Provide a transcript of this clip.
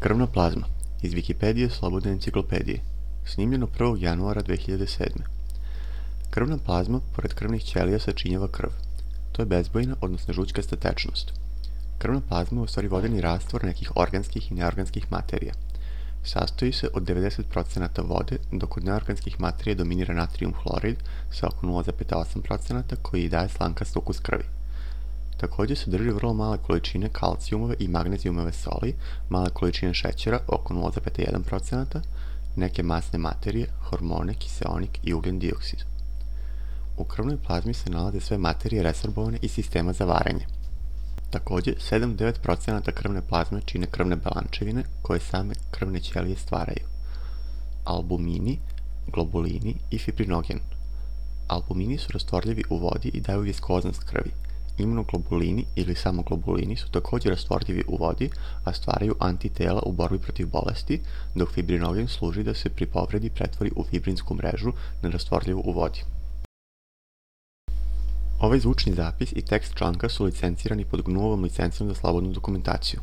Krvna plazma iz Wikipedije Slobodne enciklopedije. Snimljeno 1. januara 2007. Krvna plazma, pored krvnih ćelija, sačinjava krv. To je bezbojna, odnosno žućkasta tečnost. Krvna plazma je u stvari vodeni rastvor nekih organskih i neorganskih materija. Sastoji se od 90% vode, dok od neorganskih materija dominira natrijum hlorid sa oko 0,8% koji daje slankast ukus krvi. Također sadrži vrlo male količine kalcijumove i magnezijumove soli, male količine šećera, oko 0,1%, neke masne materije, hormone, kiseonik i ugljen dioksid. U krvnoj plazmi se nalaze sve materije resorbovane iz sistema za varenje. Također, 7-9% krvne plazme čine krvne belančevine koje same krvne ćelije stvaraju. Albumini, globulini i fibrinogen. Albumini su rastvorljivi u vodi i daju viskoznost krvi. Imunoglobulini ili samo globulini su također rastvorljivi u vodi, a stvaraju antitela u borbi protiv bolesti, dok fibrinogen služi da se pri povredi pretvori u fibrinsku mrežu nerastvorljivu u vodi. Ovaj zvučni zapis i tekst članka su licencirani pod GNU-ovom licencom za slobodnu dokumentaciju.